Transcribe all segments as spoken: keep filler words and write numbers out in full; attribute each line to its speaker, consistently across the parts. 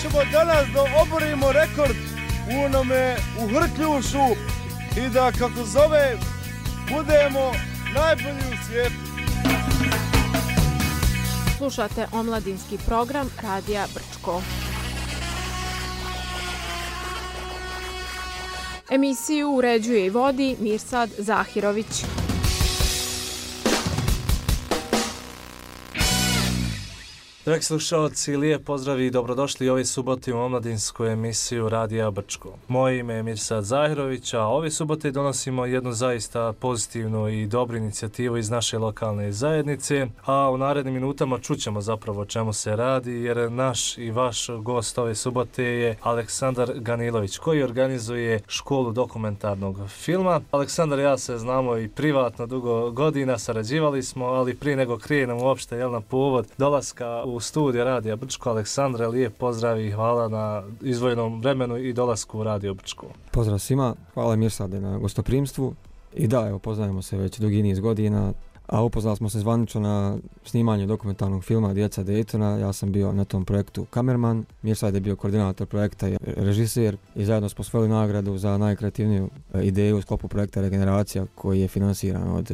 Speaker 1: ćemo danas da oborimo rekord u onome u Hrkljušu i da, kako zove, budemo najbolji u svijetu.
Speaker 2: Slušate omladinski program Radija Brčko. Emisiju uređuje i vodi Mirsad Zahirović.
Speaker 3: Dragi slušalci, lijep pozdrav i dobrodošli ove subote u omladinsku emisiju Radija Brčko. Moje ime je Mirsad Zahirović, a ove subote donosimo jednu zaista pozitivnu i dobru inicijativu iz naše lokalne zajednice, a u narednim minutama čućemo zapravo o čemu se radi, jer naš i vaš gost ove subote je Aleksandar Ganilović, koji organizuje školu dokumentarnog filma. Aleksandar i ja se znamo i privatno dugo godina, sarađivali smo, ali prije nego krenemo uopšte jel, na povod dolaska u studiju Radija Brčko, Aleksandre, lijep pozdrav i hvala na izvojenom vremenu i dolasku u Radio Brčko.
Speaker 4: Pozdrav svima, hvala Mirsade na gostoprimstvu i da, evo, poznajemo se već dugi niz godina, a upoznali smo se zvanično na snimanju dokumentarnog filma Djeca Daytona. Ja sam bio na tom projektu kamerman, Mirsad je bio koordinator projekta i režiser i zajedno smo osvojili nagradu za najkreativniju ideju u sklopu projekta Regeneracija, koji je finansiran od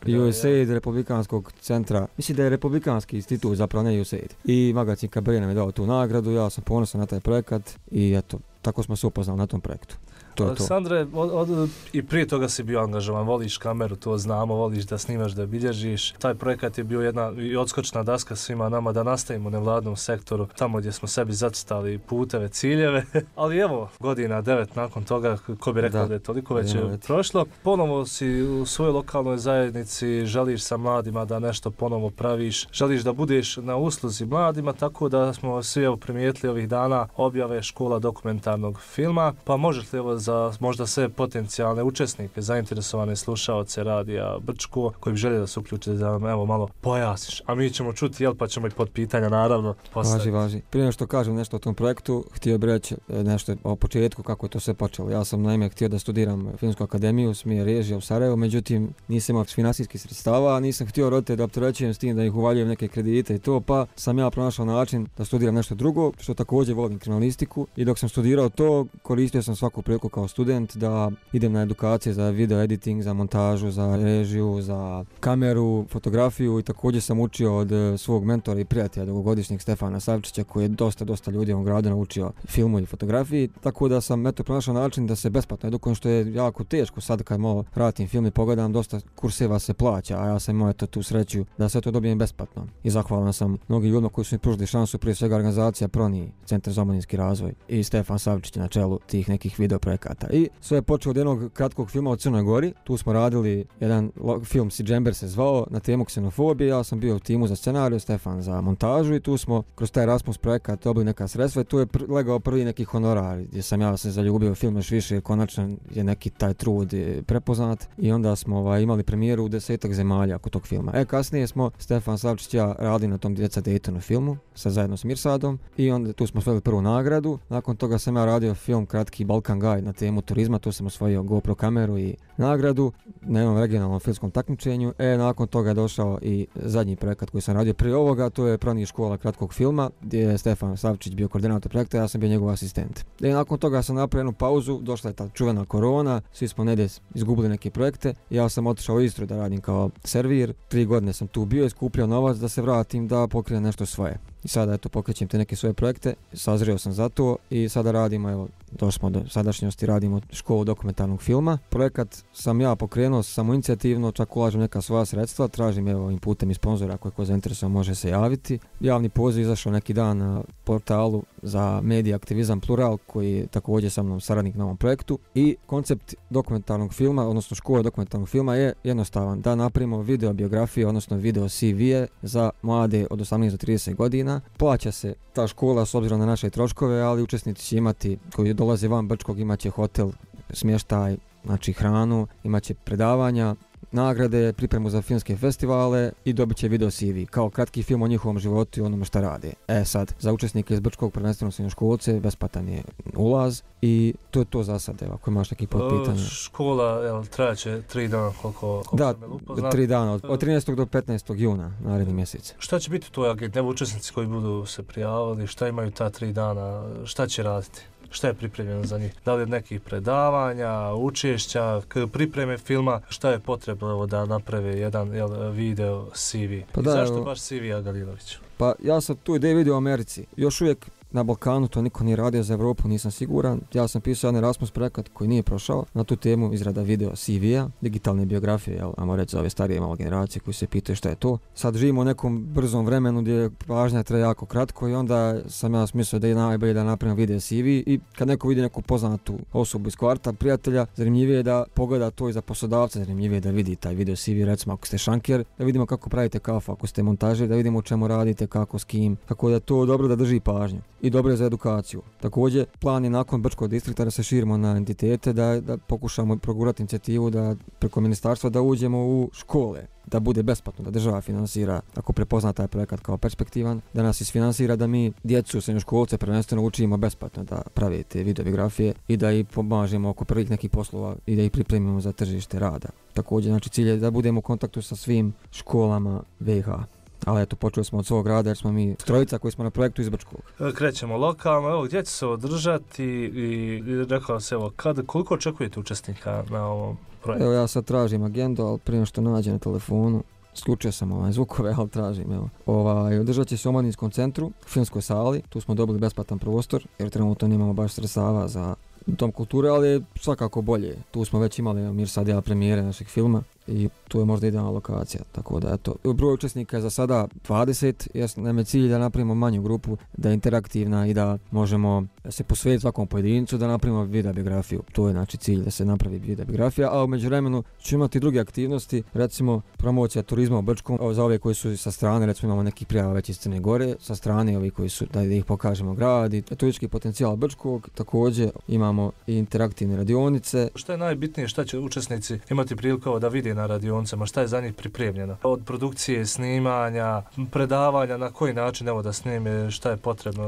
Speaker 4: U S A I D, Republikanskog centra, mislim da je Republikanski institut, zapravo ne U S A I D. I magazin Cabaret nam je dao tu nagradu, ja sam ponosan na taj projekat i eto, tako smo se upoznali na tom projektu.
Speaker 3: Aleksandre, od, od, i prije toga si bio angažovan, voliš kameru, to znamo, voliš da snimaš, da bilježiš. Taj projekat je bio jedna i odskočna daska svima nama da nastavimo u nevladnom sektoru, tamo gdje smo sebi zacrtali puteve, ciljeve. Ali evo, godina devet nakon toga, ko bi rekao da, da je toliko već je prošlo. Ponovo si u svojoj lokalnoj zajednici, želiš sa mladima da nešto ponovo praviš, želiš da budeš na usluzi mladima, tako da smo svi evo primijetili ovih dana objave škola dokumentarnog filma. Pa možeš li evo za možda sve potencijalne učesnike, zainteresovane slušaoce Radija Brčko, koji bi željeli da se uključe, da nam evo malo pojasniš. A mi ćemo čuti, jel, pa ćemo i pod pitanja naravno postaviti.
Speaker 4: Važi, važi. Prije što kažem nešto o tom projektu, htio bih reći nešto o početku kako je to sve počelo. Ja sam naime htio da studiram Filmsku akademiju, smjer režija u Sarajevu, međutim nisam imao finansijskih sredstava, nisam htio roditelje da opterećujem s tim da ih uvaljujem neke kredite i to, pa sam ja pronašao način da studiram nešto drugo, što također volim kriminalistiku, i dok sam studirao to, koristio sam svaku priliku kao student da idem na edukacije za video editing, za montažu, za režiju, za kameru, fotografiju, i također sam učio od svog mentora i prijatelja dugogodišnjeg Stefana Savčića, koji je dosta, dosta ljudi u ovom gradu naučio filmu i fotografiji, tako da sam eto pronašao način da se besplatno edukujem, što je jako teško. Sad kad malo vratim film i pogledam, dosta kurseva se plaća, a ja sam imao eto tu sreću da sve to dobijem besplatno. I zahvalan sam mnogim ljudima koji su mi pružili šansu, prije svega organizacija Proni, Centar za omladinski razvoj, i Stefan Savčić na čelu tih nekih video projekata. I sve je počelo od jednog kratkog filma o Crnoj Gori. Tu smo radili jedan film, Si Džember se zvao, na temu ksenofobije. Ja sam bio u timu za scenariju, Stefan za montažu, i tu smo kroz taj Erasmus projekat dobili neka sredstva i tu je pr- legao prvi neki honorar gdje sam ja se zaljubio u film još više, konačno je neki taj trud prepoznat, i onda smo ovaj, imali premijeru u desetak zemalja kod tog filma. E, kasnije smo Stefan Savčić i ja radili na tom Djeca Daytona filmu sa zajedno s Mirsadom, i onda tu smo osvojili prvu nagradu. Nakon toga sam ja radio film kratki Balkan Guide na temu turizma, tu sam osvojio GoPro kameru i nagradu na jednom regionalnom filmskom takmičenju. E, nakon toga je došao i zadnji projekat koji sam radio prije ovoga, to je Proni škola kratkog filma, gdje je Stefan Savčić bio koordinator projekta, ja sam bio njegov asistent. E, nakon toga sam napravio jednu pauzu, došla je ta čuvena korona, svi smo negdje izgubili neke projekte, ja sam otišao u Istru da radim kao servir, tri godine sam tu bio, iskupljao novac da se vratim, da pokrijem nešto svoje. I sada eto pokrećem te neke svoje projekte, sazrio sam za to i sada radimo, evo, došli smo do sadašnjosti, radimo školu dokumentarnog filma. Projekat sam ja pokrenuo samoinicijativno, čak ulažem neka svoja sredstva, tražim evo ovim putem i sponzora, ako je ko zainteresovan može se javiti. Javni poziv izašao neki dan na portalu za medija aktivizam Plural, koji je također sa mnom saradnik na ovom projektu, i koncept dokumentarnog filma, odnosno škole dokumentarnog filma je jednostavan, da napravimo video biografije, odnosno video C V-e za mlade od osamnaest do trideset godina. Plaća se ta škola s obzirom na naše troškove, ali učesnici će imati, koji dolaze van Brčkog, imat će hotel, smještaj, znači hranu, imat će predavanja, nagrade, pripremu za filmske festivale i dobit će video C V kao kratki film o njihovom životu i onome šta rade. E sad, za učesnike iz Brčkog prvenstveno srednjoškolce besplatan je ulaz i to je to za sad, evo, ako imaš neki potpitanja.
Speaker 3: Škola, jel, trajaće tri dana koliko, koliko
Speaker 4: da,
Speaker 3: sam me upoznat.
Speaker 4: tri dana, od, od trinaestog do petnaestog juna, naredni mjesec.
Speaker 3: Šta će biti tvoj agent, evo učesnici koji budu se prijavili, šta imaju ta tri dana, šta će raditi? Šta je pripremljeno za njih? Da li od nekih predavanja, učešća, pripreme filma, šta je potrebno evo, da naprave jedan jel, video C V? Pa da, I zašto evo, baš C V Agalilović?
Speaker 4: Pa ja sam tu ideju vidio u Americi. Još uvijek na Balkanu to niko nije radio, za Evropu nisam siguran. Ja sam pisao jedan Erasmus projekat koji nije prošao na tu temu izrada video C V-a, digitalne biografije, jel, ajmo reći za ove starije malo generacije koji se pitaju šta je to. Sad živimo u nekom brzom vremenu gdje pažnja traje jako kratko i onda sam ja smislio da je najbolje da napravim video C V i kad neko vidi neku poznatu osobu iz kvarta, prijatelja, zanimljivije je da pogleda to i za poslodavca, zanimljivije je da vidi taj video C V, recimo ako ste šanker, da vidimo kako pravite kafu, ako ste montažer, da vidimo o čemu radite, kako, s kim, tako da je to dobro da drži pažnju. I dobro je za edukaciju. Također, plan je nakon Brčkog distrikta da se širimo na entitete, da, da pokušamo progurati inicijativu da preko ministarstva da uđemo u škole, da bude besplatno, da država finansira, ako prepozna taj projekat kao perspektivan, da nas isfinansira da mi djecu, srednjoškolce prvenstveno učimo besplatno da prave te videografije i da ih pomažemo oko prvih nekih poslova i da ih pripremimo za tržište rada. Također, znači cilj je da budemo u kontaktu sa svim školama V I H. Ali eto, počeli smo od svog grada jer smo mi trojica koji smo na projektu iz Brčkog.
Speaker 3: Krećemo lokalno, evo gdje će se održati i, i rekao se evo, kad, koliko očekujete učesnika na ovom projektu?
Speaker 4: Evo ja sad tražim agendu, ali prije što nađem na telefonu, isključio sam ovaj zvukove, ali tražim, evo. Ovaj, održat će se u Omladinskom centru, u filmskoj sali, tu smo dobili besplatan prostor jer trenutno nemamo baš sredstava za dom kulture, ali je svakako bolje. Tu smo već imali Mirsad ja premijere našeg filma i tu je možda idealna lokacija, tako da eto. Broj učesnika je za sada dvadeset, jer nam je cilj da napravimo manju grupu, da je interaktivna i da možemo se posvetiti svakom pojedincu, da napravimo videobiografiju. To je znači cilj da se napravi videobiografija, a u međuvremenu ćemo imati druge aktivnosti, recimo promocija turizma u Brčkom, za ove koji su sa strane, recimo imamo nekih prijava već iz Crne Gore, sa strane ovi koji su, da ih pokažemo grad i turistički potencijal Brčkog, također imamo i interaktivne radionice.
Speaker 3: Šta je najbitnije, šta će učesnici imati priliku da vide na radionicama, šta je za njih pripremljeno? Od produkcije, snimanja, predavanja, na koji način evo da snime, šta je potrebno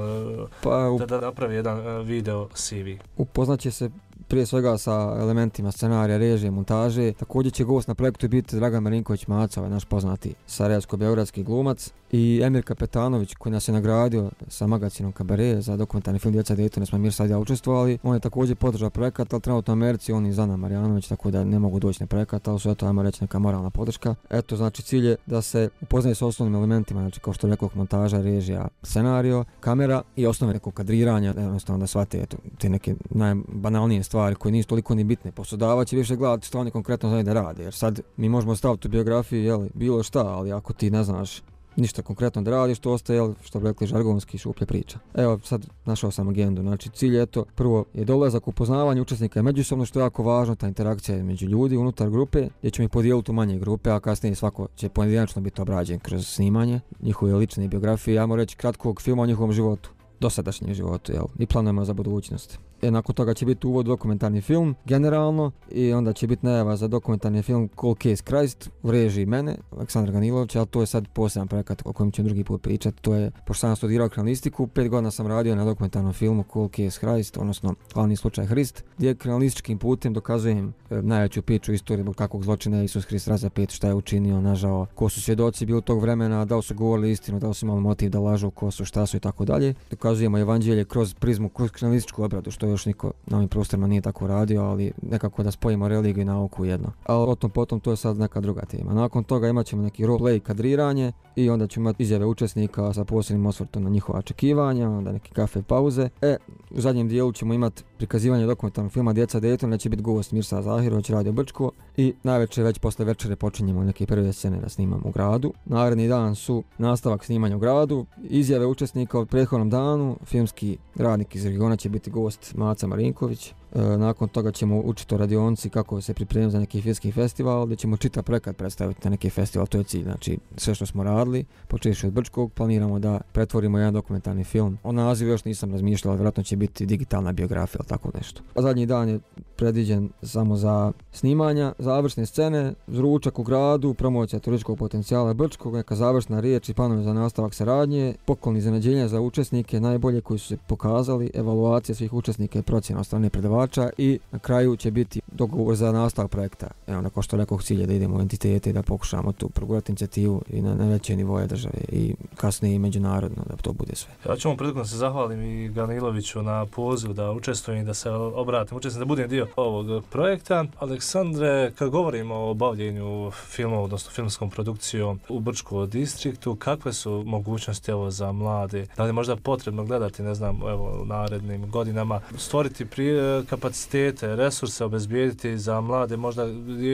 Speaker 3: pa, da, da napravi jedan video C V?
Speaker 4: Upoznaće se prije svega sa elementima scenarija, režije, montaže. Također će gost na projektu biti Dragan Marinković Maca, ovaj naš poznati sarajevsko-beogradski glumac, i Emir Kapetanović koji nas je nagradio sa magazinom Kabare za dokumentarni film Djeca Daytona, smo Mir sad ja učestvovali. On je također podržao projekat, ali trenutno u Americi, on i Zana Marjanović, tako da ne mogu doći na projekat, ali su eto, ajmo reći, neka moralna podrška. Eto, znači cilj je da se upoznaje s osnovnim elementima, znači kao što rekao, montaža, režija, scenario, kamera i osnove nekog kadriranja, jednostavno da shvate eto, te neke najbanalnije stvari koje nisu toliko ni bitne. Poslodavac će više gledati što oni konkretno znaju da rade, jer sad mi možemo staviti u biografiju jeli, bilo šta, ali ako ti ne znaš ništa konkretno da radiš, to ostaje, jel, što bi rekli žargonski, šuplja priča. Evo, sad našao sam agendu, znači cilj je to, prvo je dolazak, upoznavanje učesnika međusobno, što je jako važno, ta interakcija među ljudi unutar grupe, gdje ćemo ih podijeliti u manje grupe, a kasnije svako će pojedinačno biti obrađen kroz snimanje njihove lične biografije, ja moram reći kratkog filma o njihovom životu, dosadašnjem životu, jel, i planujemo za budućnost. E, nakon toga će biti uvod dokumentarni film generalno i onda će biti najava za dokumentarni film Cold Case Christ u režiji mene, Aleksandra Ganilovića, ali to je sad poseban projekat o kojem ću drugi put pričati. To je, pošto sam studirao kriminalistiku, pet godina sam radio na dokumentarnom filmu Cold Case Christ, odnosno Glavni slučaj Hrist, gdje kriminalističkim putem dokazujem e, najveću priču istorije zbog kakvog zločina je Isus Hrist razapet, šta je učinio, nažao, ko su svjedoci bili tog vremena, da li su govorili istinu, da li su imali motiv da lažu, ko su, šta su i tako dalje. Dokazujemo evanđelje kroz prizmu, kroz kriminalističku obradu, što još niko na ovim prostorima nije tako radio, ali nekako da spojimo religiju i nauku jedno. Ali o tom potom to je sad neka druga tema. Nakon toga imat ćemo neki roleplay, kadriranje i onda ćemo imati izjave učesnika sa posebnim osvrtom na njihova očekivanja, onda neke kafe pauze. E, u zadnjem dijelu ćemo imati prikazivanje dokumentarnog filma Djeca Daytona, će biti gost Mirsad Zahirović, Radio Brčko, i najveće već posle večere počinjemo neke prve scene da snimamo u gradu. Naredni dan su nastavak snimanja u gradu, izjave učesnika od prethodnom danu, filmski radnik iz regiona će biti gost Maca Marinković, E, nakon toga ćemo učiti o radionci kako se pripremiti za neki filmski festival, gdje ćemo čitav projekat predstaviti na neki festival, to je cilj. Znači, sve što smo radili, počeši od Brčkog, planiramo da pretvorimo jedan dokumentarni film. O nazivu još nisam razmišljala, vjerojatno će biti digitalna biografija ili tako nešto. A zadnji dan je predviđen samo za snimanja, završne scene, ručak u gradu, promocija turističkog potencijala Brčkog, neka završna riječ i planovi za nastavak saradnje, poklon iznenađenja za učesnike, najbolje koji su se pokazali, evaluacija svih učesnika i procjena od strane predavača i na kraju će biti dogovor za nastavak projekta. Evo, nakon što rekao cilje da idemo u entitete i da pokušamo tu progurati inicijativu i na, na veće nivoje države i kasnije i međunarodno da to bude sve.
Speaker 3: Ja ću vam prilikom se zahvalim i Ganiloviću na pozivu da učestvujem i da se obratim, učestvujem da budem dio ovog projekta. Aleksandre, kad govorimo o bavljenju filmom, odnosno filmskom produkcijom u Brčkom distriktu, kakve su mogućnosti evo za mlade? Da li je možda potrebno gledati, ne znam, evo u narednim godinama, stvoriti prije kapacitete, resurse obezbijediti za mlade, možda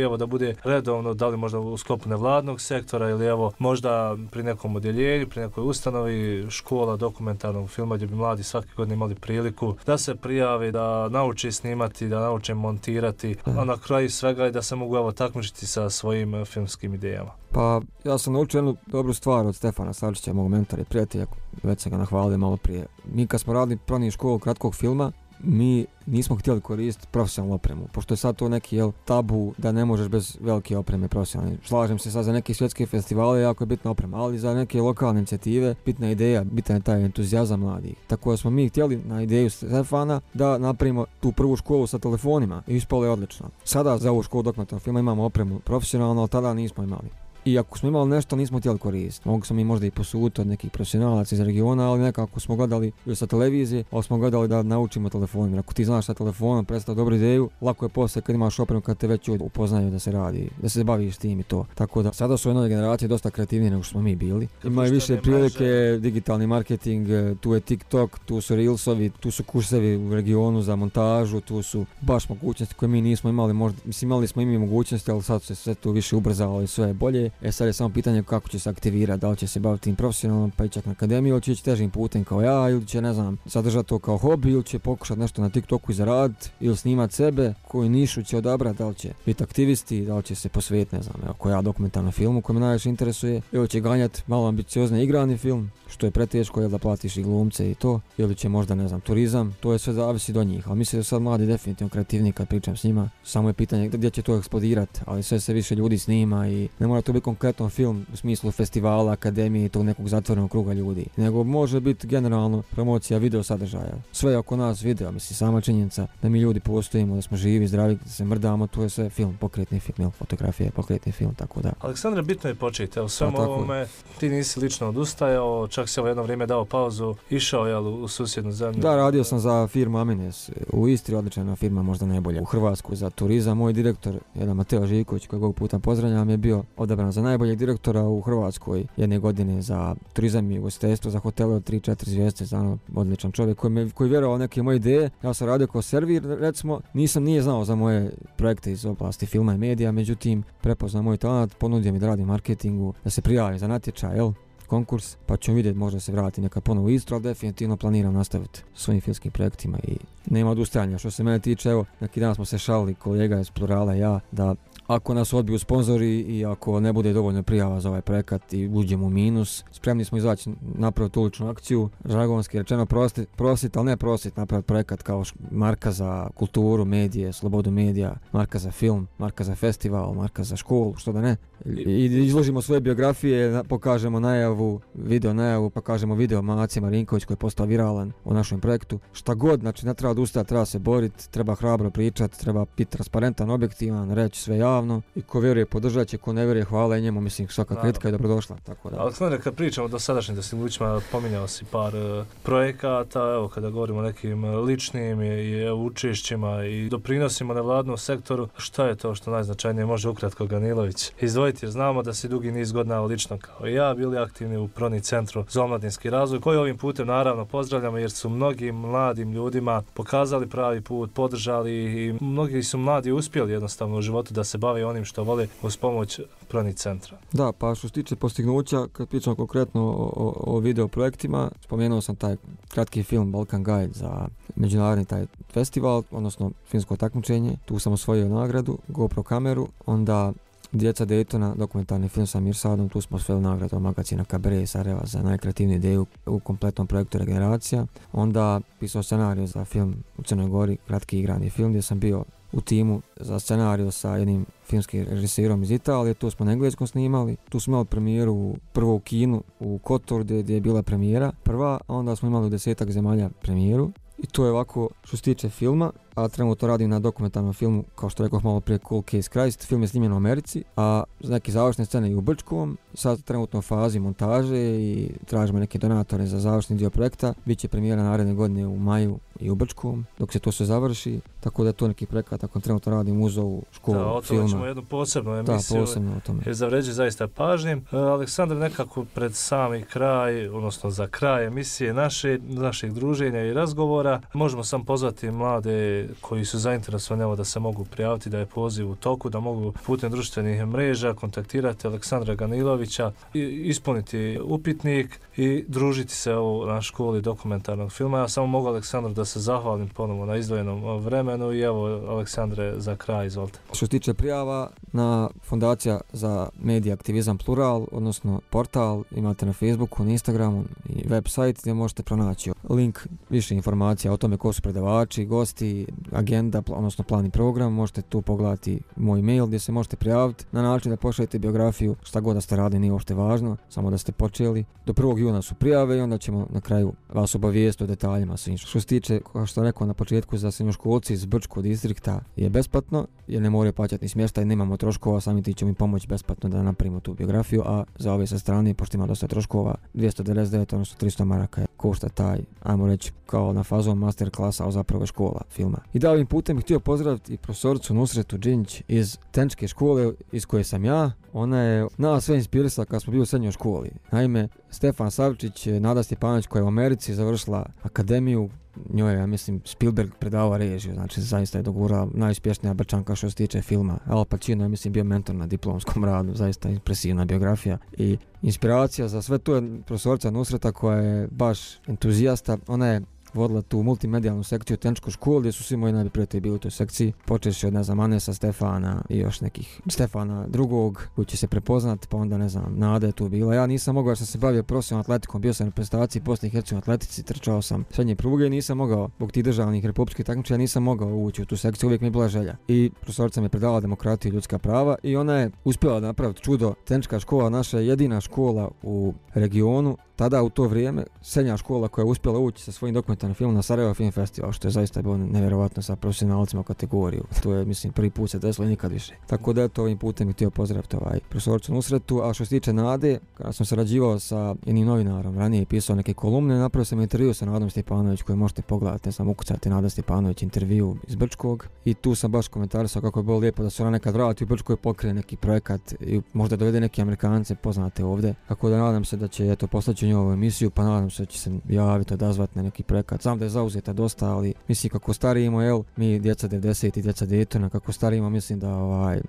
Speaker 3: evo da bude redovno, da li možda u sklopu nevladnog sektora ili evo možda pri nekom odjeljenju, pri nekoj ustanovi, škola dokumentarnog filma gdje bi mladi svake godine imali priliku da se prijave, da nauči snimati, da nauče montirati, a na kraju svega i da se mogu evo takmičiti sa svojim filmskim idejama.
Speaker 4: Pa ja sam naučio jednu dobru stvar od Stefana Savčića, mog mentora i prijatelja, već sam ga nahvalio malo prije. Mi kad smo radili prvi školu kratkog filma, mi nismo htjeli koristiti profesionalnu opremu, pošto je sad to neki jel, tabu da ne možeš bez velike opreme profesionalne. Slažem se sad za neke svjetske festivale, jako je bitna oprema, ali za neke lokalne inicijative bitna ideja, bitan je taj entuzijazam mladih. Tako da smo mi htjeli na ideju Stefana da napravimo tu prvu školu sa telefonima i ispalo je odlično. Sada za ovu školu dokumentarnog filma imamo opremu profesionalno, ali tada nismo imali. I ako smo imali nešto, nismo htjeli koristiti. Mogli smo mi možda i posuditi od nekih profesionalaca iz regiona, ali nekako smo gledali ili sa televizije, ali smo gledali da naučimo telefonom. Ako ti znaš sa telefonom predstaviti dobru ideju, lako je poslije kad imaš opremu kad te već upoznaju da se radi, da se baviš tim i to. Tako da sada su ove nove generacije dosta kreativnije nego što smo mi bili. Imaju više prilike, digitalni marketing, tu je TikTok, tu su Reelsovi, tu su kursevi u regionu za montažu, tu su baš mogućnosti koje mi nismo imali. Možda, mislim, imali smo i mi mogućnosti, ali sad se sve to više ubrzalo i sve je bolje. E sad je samo pitanje kako će se aktivirati, da li će se baviti tim profesionalno pa i čak na akademiju, ili će ići težim putem kao ja, ili će, ne znam, zadržati to kao hobi, ili će pokušati nešto na TikToku i zaraditi, ili snimati sebe, koju nišu će odabrati, da li će biti aktivisti, da li će se posvetiti, ne znam, ako ja dokumentarnom filmu koji me najviše interesuje, ili će ganjati malo ambiciozne igrani film, što je preteško, jel da platiš i glumce i to, ili će možda, ne znam, turizam, to je sve zavisi do njih, ali mislim da sad mladi definitivno kreativni kad pričam s njima, samo je pitanje gdje će to eksplodirati, ali sve se više ljudi snima i ne mora to biti konkretan film u smislu festivala, akademije i tog nekog zatvorenog kruga ljudi, nego može biti generalno promocija video sadržaja. Sve je oko nas video, mislim, sama činjenica da mi ljudi postojimo, da smo živi, zdravi, da se mrdamo, to je sve film, pokretni film, jel, fotografija, pokretni film, tako da.
Speaker 3: Aleksandre, bitno je početi, evo svemu ovome, ti nisi lično odustajao, čak si ovo jedno vrijeme dao pauzu, išao jel, u susjednu zemlju.
Speaker 4: Da, radio sam za firmu Amines u Istri, odlična firma, možda najbolja u Hrvatsku za turizam. Moj direktor, jedan Mateo Živković, kojeg ovog puta pozdravljam, je bio odabran za najboljeg direktora u Hrvatskoj jedne godine za turizam i ugostiteljstvo, za hotele od tri četiri zvijezde, za odličan čovjek koji me koji vjerovao neke moje ideje. Ja sam radio kao servir, recimo, nisam nije znao za moje projekte iz oblasti filma i medija, međutim prepoznao moj talent, ponudio mi da radim marketingu, da se prijavim za natječaj, jel? Konkurs, pa ćemo vidjeti, možda se vrati neka ponovo u Istru, ali definitivno planiram nastaviti svojim filmskim projektima i nema odustajanja. Što se mene tiče, evo, neki dan smo se šalili, kolega iz Plurala i ja, da ako nas odbiju sponzori i ako ne bude dovoljno prijava za ovaj projekat i uđemo u minus, spremni smo izaći napraviti uličnu akciju, žargonski rečeno prosit, prosit, ali ne prosit, napraviti projekat kao marka za kulturu, medije, slobodu medija, marka za film, marka za festival, marka za školu, što da ne. I izložimo svoje biografije, pokažemo najavu, video najavu, pa kažemo video Macija Marinković koji je postao viralan o našem projektu. Šta god, znači ne treba odustati, treba se boriti, treba hrabro pričati, treba biti transparentan, objektivan, reći sve javno i ko vjeruje podržat će, ko ne vjeruje hvala i njemu, mislim svaka kritika je dobrodošla. Tako da.
Speaker 3: Aleksandre, kad pričamo do sadašnjim dostignućima, pominjao si par uh, projekata, evo kada govorimo o nekim ličnim i, i učešćima i doprinosima nevladnom sektoru, šta je to što najznačajnije može ukratko Ganilović izdvojiti, jer znamo da si dugi niz godina lično kao i ja bili aktivni aktivni u Proni centru za omladinski razvoj, koji ovim putem naravno pozdravljamo jer su mnogim mladim ljudima pokazali pravi put, podržali i mnogi su mladi uspjeli jednostavno u životu da se bave onim što vole uz pomoć Proni centra.
Speaker 4: Da, pa što se tiče postignuća, kad pričamo konkretno o, o, o video projektima, spomenuo sam taj kratki film Balkan Guide za međunarodni taj festival, odnosno filmsko takmičenje. Tu sam osvojio nagradu, GoPro kameru, onda Djeca Daytona, dokumentarni film sa Mirsadom, tu smo osvojili nagradu od magazina Kabare iz Sarajeva za najkreativniju ideju u kompletnom projektu Regeneracija. Onda pisao scenariju za film u Crnoj Gori, kratki igrani film gdje sam bio u timu za scenariju sa jednim filmskim režiserom iz Italije, tu smo na engleskom snimali, tu smo imali premijeru prvo u kinu u Kotor gdje, gdje je bila premijera prva, a onda smo imali u desetak zemalja premijeru. I to je ovako što se tiče filma, a trenutno radim na dokumentarnom filmu, kao što rekao malo prije, Cold Case Christ. Film je snimljen u Americi, a neke završne scene i u Brčkom. Sad trenutno u fazi montaže i tražimo neke donatore za završni dio projekta. Biće premijera naredne godine u maju i u Brčkom, dok se to sve završi. Tako da je to neki projekat, ako trenutno radim uz ovu školu filma.
Speaker 3: Da, o tome ćemo jednu posebnu emisiju.
Speaker 4: Da, posebno o tome.
Speaker 3: Jer zavređuje zaista pažnjim. Uh, Aleksandar, nekako pred sami kraj, odnosno za kraj emisije naše, naših druženja i razgovora, možemo sam pozvati mlade koji su zainteresovani, evo, da se mogu prijaviti, da je poziv u toku, da mogu putem društvenih mreža kontaktirati Aleksandra Ganilovića, i ispuniti upitnik i družiti se evo, na školi dokumentarnog filma. Ja samo mogu Aleksandru da se zahvalim ponovo na izdvojenom vremenu i evo, Aleksandre, za kraj, izvolite.
Speaker 4: Što se tiče prijava, na Fondacija za medija aktivizam Plural, odnosno portal, imate na Facebooku, na Instagramu i website gdje možete pronaći link, više informacija o tome ko su predavači, gosti, agenda, odnosno plan i program. Možete tu pogledati moj mail gdje se možete prijaviti na način da pošaljete biografiju, šta god da ste radili, nije uopšte važno, samo da ste počeli. Do prvog juna su prijave i onda ćemo na kraju vas obavijestiti o detaljima svim. Što se tiče, kao što rekao na početku, za srednjoškolci iz Brčkog distrikta je besplatno, jer ne moraju plaćati ni smještaj, nemamo troškova, sami ti ćemo im pomoći besplatno da napravimo tu biografiju, a za ove sa strane, pošto ima dosta troškova, dvjesto devedeset devet, odnosno tristo maraka je košta taj, ajmo reći, kao na fazom master klasa, a zapravo je škola filma. I da ovim putem bih htio pozdraviti i profesoricu Nusretu Džinjić iz Tenčke škole iz koje sam ja. Ona je nas sve inspirisala kad smo bili u srednjoj školi. Naime, Stefan Savčić, Nada Stjepanović koja je u Americi završila akademiju, njoj je, ja mislim, Spielberg predavao režiju, znači zaista je dogurala najuspješnija Brčanka što se tiče filma. Al Pacino je, mislim, bio mentor na diplomskom radu, zaista impresivna biografija i inspiracija za sve. Tu je profesorica Nusreta koja je baš entuzijasta, ona je vodila tu multimedijalnu sekciju Tenčku školu gdje su svi moji najbolji prijatelji bili u toj sekciji. Počeši od, ne znam, Anesa, Stefana i još nekih Stefana drugog koji će se prepoznati, pa onda, ne znam, Nada je tu bila. Ja nisam mogao jer sam se bavio profesionalnom atletikom, bio sam na reprezentaciji Bosne i Hercegovine atletici, trčao sam srednje pruge, nisam mogao, zbog tih državnih republičkih takmičenja nisam mogao ući u tu sekciju, uvijek mi je bila želja. I profesorica mi je predavala demokratiju i ljudska prava i ona je uspjela da napraviti čudo. Tenčka škola, naša jedina škola u regionu, tada u to vrijeme srednja škola koja je uspjela ući sa svojim dokumentarnim filmom na Sarajevo Film Festival, što je zaista bilo nevjerovatno sa profesionalcima u kategoriju. To je, mislim, prvi put se desilo i nikad više. Tako da to ovim putem bih htio pozdraviti ovaj profesoricu Nusretu. A što se tiče Nade, kada sam sarađivao sa jednim novinarom, ranije je pisao neke kolumne, napravio sam intervju sa Nadom Stjepanović koji možete pogledati, ne znam, ukucati Nada Stjepanović intervju iz Brčkog i tu sam baš komentarisao kako je bilo lijepo da se ona nekad vrati u Brčkoj, pokrije neki projekat i možda dovede neke Amerikance poznate ovdje. Tako da nadam se da će eto poslaći nju ovu emisiju, pa nadam se da će se javiti, odazvati na neki projekat. Znam da je zauzeta dosta, ali mislim kako starimo, jel, mi djeca devedeset i djeca Daytona, kako starimo, mislim da ovaj,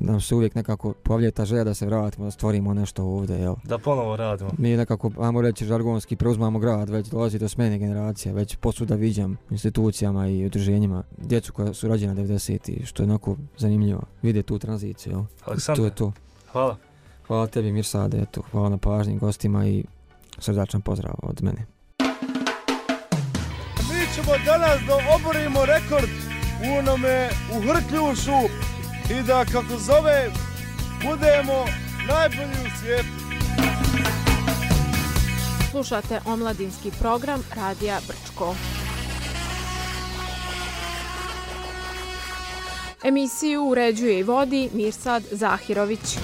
Speaker 4: nam se uvijek nekako pojavlja ta želja da se vratimo, da stvorimo nešto ovdje, jel.
Speaker 3: Da ponovo radimo.
Speaker 4: Mi nekako, ajmo reći, žargonski preuzmamo grad, već dolazi do smjene generacija, već posuda viđam institucijama i udruženjima djecu koja su rođena devedesetih, što je onako zanimljivo. Vide tu tranziciju, jel.
Speaker 3: Aleksandar,
Speaker 4: to je to.
Speaker 3: Hvala.
Speaker 4: Hvala tebi, Mirsade, eto, hvala na pažnji gostima i srdačan pozdrav od mene.
Speaker 1: Mi ćemo danas da oborimo rekord u onome u Hrkljušu i da, kako zove, budemo najbolji u svijetu.
Speaker 2: Slušate omladinski program Radija Brčko. Emisiju uređuje i vodi Mirsad Zahirović.